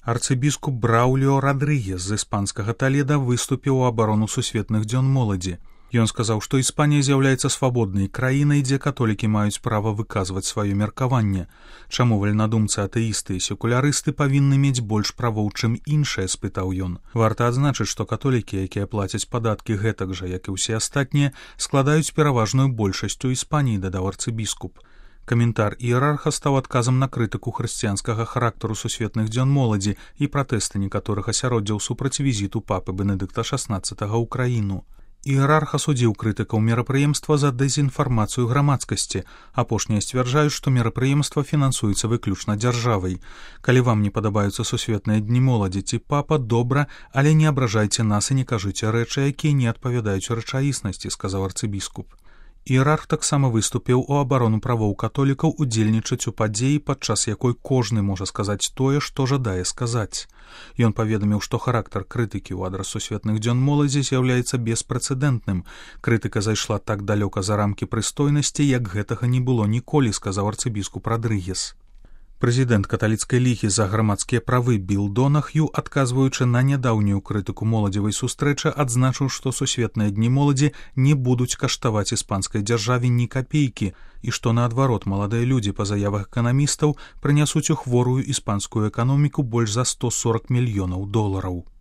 Арцыбіскуп Браўліо Радрыгес з іспанскага Таледа выступіў у абарону сусветных дзён моладзі. Ён сказаў, што Іспанія з'яўляецца свабоднай краінай, дзе католікі маюць права выказваць сваё меркаванне. Чаму вальнадумцы, атэісты і секулярысты павінны мець больш правоў, чым іншыя, спытаў ён. Варта адзначыць, што католікі, якія плацяць падаткі гэтак жа, як і ўсе астатнія, складаюць пераважную большасць у Іспаніі, дадаў арцыбіскуп. Каментар іерарха стаў адказам на крытыку хрысціянскага характару сусветных дзён моладзі і пратэсты некаторых асяроддзяў супраць візіту папы Бенедыкта XVI ў краіну. Іерарх асудзіў крытыкаў мерапрыемства за дэзінфармацыю грамадскасці. Апошнія сцвярджаюць, што мерапрыемства фінансуецца выключна дзяржавай. Калі вам не падабаюцца сусветныя дні моладзі ці папа, добра, але не абражайце нас і не кажыце рэчы, якія не адпавядаюць рэчаіснасці, сказаў арцыбіскуп. Іерарх таксама выступіў у абарону правоў католікаў удзельнічаць у падзеі, падчас якой кожны можа сказаць тое, што жадае сказаць. Ён паведаміў, што характар крытыкі ў адрас сусветных дзён моладзі з'яўляецца беспрэцэдэнтным. Крытыка зайшла так далёка за рамкі прыстойнасці, як гэтага не было ніколі, сказаў арцыбіскуп Радрыгес. Прэзідэнт каталіцкай лігі за грамадскія правы Біл Донах'ю, адказваючы на нядаўнюю крытыку моладзевай сустрэчы, адзначыў, што сусветныя дні моладзі не будуць каштаваць іспанскай дзяржаве ні капейкі і што, наадварот, маладыя людзі па заявах эканамістаў прынясуць у хворую іспанскую эканоміку больш за $140 мільёнаў.